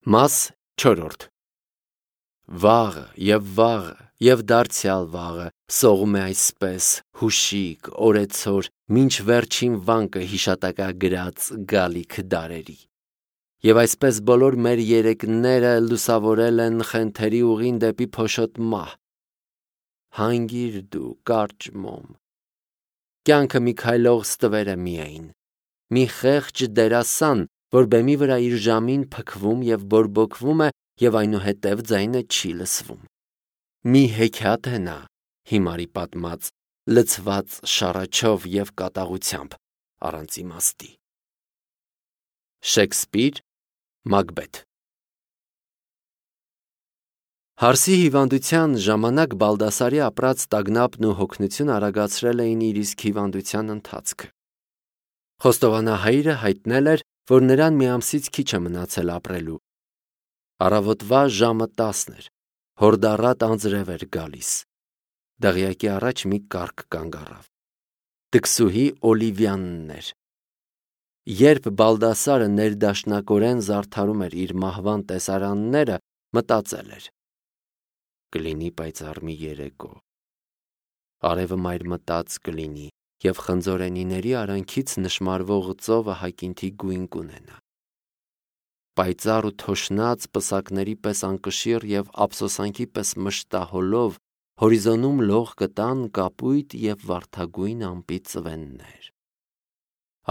Մաս 4. Վաղը և դարձյալ վաղը սողում է այսպես հուշիկ, օրեցօր, մինչ վերջին վանկը հիշատակագրած գալիք դարերի։ Եվ այսպես բոլոր մեր երեկները լուսավորել են խենթերի ուղին դեպի փոշոտ մահ։ Հանգիր դու, կարճ մոմ։ Կյանքը մի քայլող ստվեր է միայն, մի խեղճ դերասան, որ բեմի վրա իր ժամին փքվում և բորբոքվում է և այնուհետև ձայնը չի լսվում։ Մի հեքիաթ է նա, հիմարի պատմած, լցված շառաչով և կատաղությամբ, առանց իմաստի։ Շեքսպիր, Մակբեթ։ Հարսի հիվանդության ժամանակ Բալդասարի ապրած տագնապն ու հոգնությունը արագացրել էին իր իսկ հիվանդության ընթացքը։ Խոստովանահայրը հայտնել էր, որ նրան մի ամսից քիչ է մնացել ապրելու։ Առավոտվա ժամը 10 էր, հորդառատ անձրև էր գալիս։ Դղյակի առաջ մի կառք կանգ առավ։ Տկսուհի Օլիվիանն էր։ Երբ Բալդասարը ներդաշնակորեն զարդարում էր իր մահվան տեսարանները, մտածել էր. կլինի պայծառ մի երեկո։ Արևը մայրմտած կլինի և խնձորենիների արանքից նշմարվող ծովը հակինթի գույն կունենա։ Պայծառ ու թոշնած պսակների պես անկշիռ և ափսոսանքի պես մշտահոլով հորիզոնում լող կտան կապույտ և վարդագույն ամպի ծվեններ։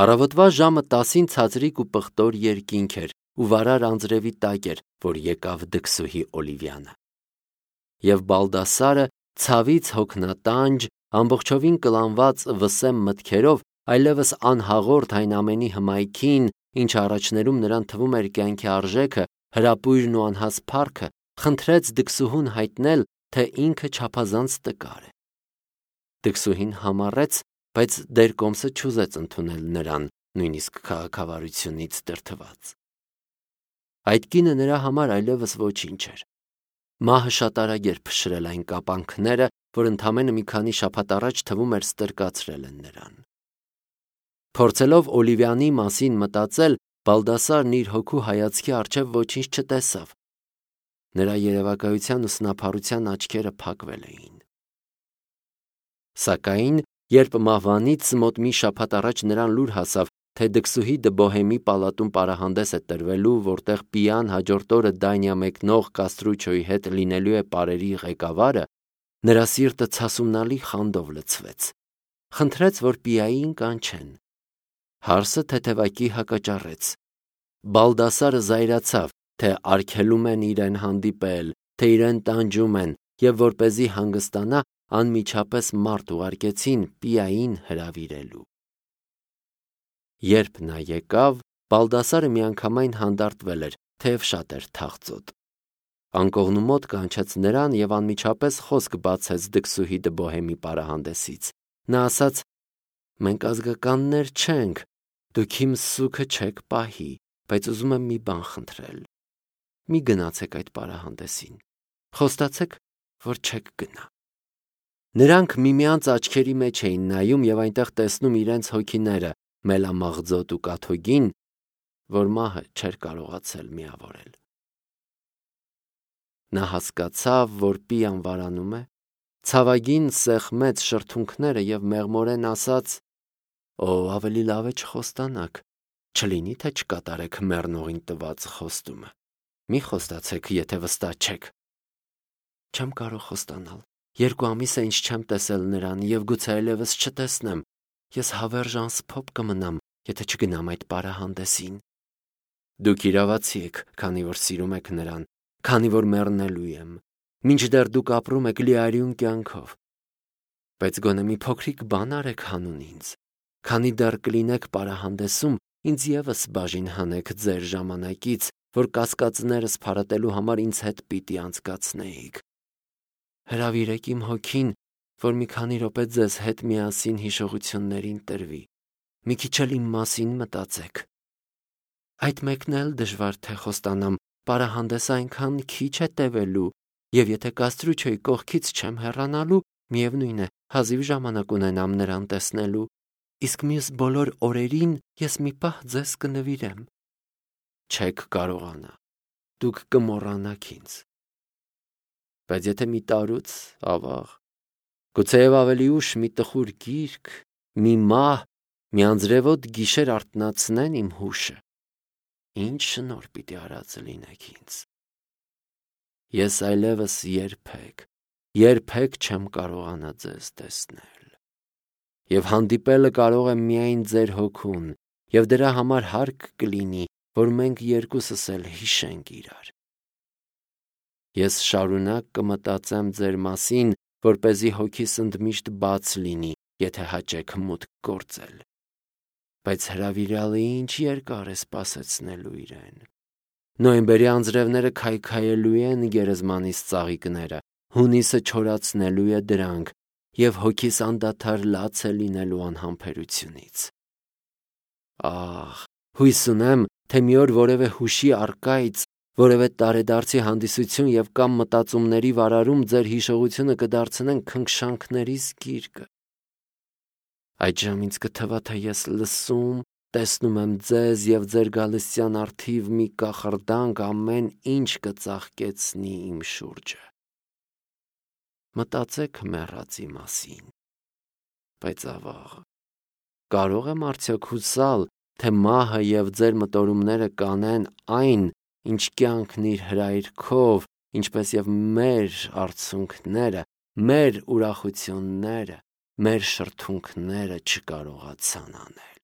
Առավոտվա ժամը 10-ին ցածրիկ ու պղտոր երկինք էր ու վարար անձրևի տակ էր, որ եկավ դքսուհի Օլիվիանը։ Եվ Բալդասարը ցավից հոգնատանջ, ամբողջովին կլանված վսեմ մտքերով, այլևս անհաղորդ այն ամենի հմայքին, ինչ առաջներում նրան թվում էր կյանքի արժեքը, հրապույրն ու անհաս փառքը, խնդրեց դքսուհուն հայտնել, թե ինքը չափազանց տկար է։ Դքսուհին համառեց, բայց դերկոմսը չուզեց ընդունել նրան, նույնիսկ քաղաքավարությունից դրդված։ Այդ կինը նրա համար այլևս ոչինչ էր։ Մահը շատ արագ էր փշրել այն կապանքները, որ ընդամենը մի քանի շաբաթ առաջ թվում էր ստրկացրել են նրան։ Փորձելով Օլիվիանի մասին մտածել, Բալդասարն իր հոգու հայացքի առջև ոչինչ չտեսավ։ Նրա երևակայության ու սնափառության աչքերը փակվել էին։ Սակայն, երբ մահվանից մոտ մի շաբաթ առաջ նրան լուր հասավ, թե դքսուհի դը Բոհեմի պալատում պարահանդես է տրվելու, որտեղ Պիան հաջորդ օրը Դանիա մեկնող Կաստրուչոյի հետ լինելու է պարերի ղեկավարը, նրա սիրտը ցասումնալի խանդով լցվեց։ Խնդրեց, որ Պիային կանչեն։ Հարսը թեթևակի հակաճառեց։ Բալդասարը զայրացավ, թե արգելում են իրեն հանդիպել, թե իրեն տանջում են, և որպեսզի հանգստանա, անմիջապես մարդ ուղարկեցին Պիային հրավիրելու։ Երբ նա եկավ, Բալդասարը միանգամայն հանդարտվել էր, թեև շատ էր թախծոտ։ Անկողնու մոտ կանչեց նրան և անմիջապես խոսք բացեց դքսուհի դը Բոհեմի պարահանդեսից։ Նա ասաց. «Մենք ազգականներ չենք, դուք իմ սուգը չեք պահի, բայց ուզում եմ մի բան խնդրել։ Մի գնացեք այդ պարահանդեսին։ Խոստացեք, որ չեք գնա»։ Նրանք միմյանց աչքերի մեջ էին նայում և այնտեղ տեսնում իրենց հոգիները, Մելամաղձոտ ու Կաթոգին, որ մահը չէր կարողացել միավորել։ Նա հասկացավ, որ Պիան վարանում է, ցավագին սեղմեց շրթունքները և մեղմորեն ասաց. «Օ, ավելի լավ է չխոստանաք, չլինի թե չկատարեք մեռնողին տված խոստումը։ Մի խոստացեք, եթե վստահ չեք»։ Չեմ կարող խոստանալ։ 2 ամիս է, ինչ չեմ տեսել նրան և գուցե այլևս չտեսնեմ։ Ես հավերժ անսփոփ կմնամ, եթե չգնամ այդ պարահանդեսին։ Դուք իրավացի եք, քանի որ սիրում եք նրան, քանի որ մեռնելու եմ, մինչդեռ դուք ապրում եք լիարյուն կյանքով։ Բայց գոնե մի փոքրիկ բան արեք հանուն ինձ։ Քանի դեռ կլինեք պարահանդեսում, ինձ ևս բաժին հանեք ձեր ժամանակից, որ կասկածներս փարատելու համար ինձ հետ պիտի անցկացնեիք։ Հրավիրեք իմ հոգին, որ մի քանի րոպե ձեզ հետ միասին հիշողություններին տրվի։ Մի քիչ էլ իմ մասին մտածեք։ Այդ մեկն էլ դժվար թե խոստանամ, պարահանդեսը այնքան քիչ է տևելու, և եթե Կաստրուչոյի կողքից չեմ հեռանալու, միևնույն է, հազիվ ժամանակ ունենամ նրան տեսնելու, իսկ մյուս բոլոր օրերին ես մի պահ ձեզ կնվիրեմ։ Չեք կարողանա։ դուք կմոռանաք ինձ։ Բայց եթե մի տարուց, ավաղ, գուցեև ավելի ուշ մի տխուր գիրք, մի մահ, մի անձրևոտ գիշեր արթնացնեն իմ հուշը, ինչ շնորհ պիտի արած լինեք ինձ։ Ես այլևս երբեք չեմ կարողանա ձեզ տեսնել։ Եվ հանդիպելը կարող եմ միայն ձեր հոգուն, և դրա համար հարկ կլինի, որ մենք երկուսս էլ հիշենք իրար։ Ես շարունակ կմտածեմ ձեր մասին, որպեսզի հոգիս ընդմիշտ բաց լինի, եթե հաճեք մուտք գործել։ Բայց հրավիրալը ինչ երկար է սպասեցնելու իրեն։ Նոյեմբերի անձրևները քայքայելու են գերեզմանիս ծաղիկները, հունիսը չորացնելու է դրանք, և հոգիս անդադար լաց է լինելու անհամբերությունից։ Ահ, հույս ունեմ, թե մի օր որևէ հուշի առկայց, որևէ տարեդարձի հանդիսություն և կամ մտածումների վարարում ձեր հիշողությունը կդարձնեն քնքշանքներիս գիրկը։ Այդժամ ինձ կթվա, թե ես լսում, տեսնում եմ ձեզ և ձեր գալստյան առթիվ մի կախարդանք ամեն ինչ կծաղկեցնի իմ շուրջը։ Մտածեք մեռածի մասին։ Բայց ավաղ, կարող եմ արդյոք հուսալ, թե մահը և ձեր մտորումները կանեն այն, ինչ կյանքն իր հրայրքով, ինչպես և մեր արցունքները, մեր ուրախությունները, մեր շրթունքները չկարողացան անել։